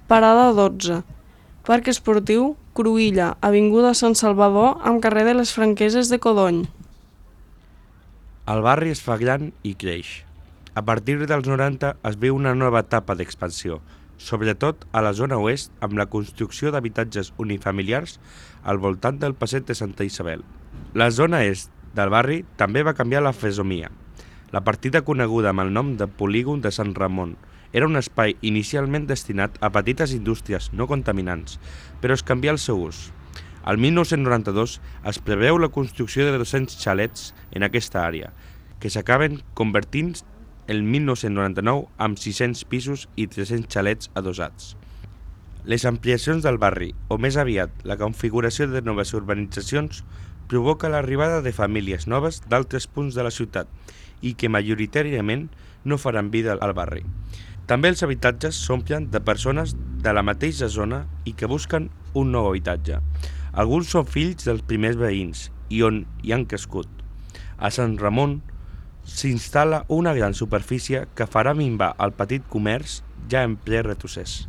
Parada 12. Parc Esportiu Cruïlla, avinguda Sant Salvador amb carrer de les Franqueses de Codony. El barri es fa gran i creix. A partir dels 90 es viu una nova etapa d'expansió, sobretot a la zona oest amb la construcció d'habitatges unifamiliars al voltant del passeig de Santa Isabel. La zona est del barri també va canviar la fesomia. La partida coneguda amb el nom de Polígon de Sant Ramon era un espai inicialment destinat a petites indústries no contaminants, però es canvià el seu ús. Al 1992 es preveu la construcció de 200 xalets en aquesta àrea, que s'acaben convertint el 1999 amb 600 pisos i 300 xalets adossats. Les ampliacions del barri, o més aviat la configuració de noves urbanitzacions, provoca l'arribada de famílies noves d'altres punts de la ciutat i que majoritàriament no faran vida al barri. També els habitatges s'omplen de persones de la mateixa zona i que busquen un nou habitatge. Alguns són fills dels primers veïns i on hi han crescut. A Sant Ramon s'instal·la una gran superfície que farà minvar el petit comerç ja en ple retrocés.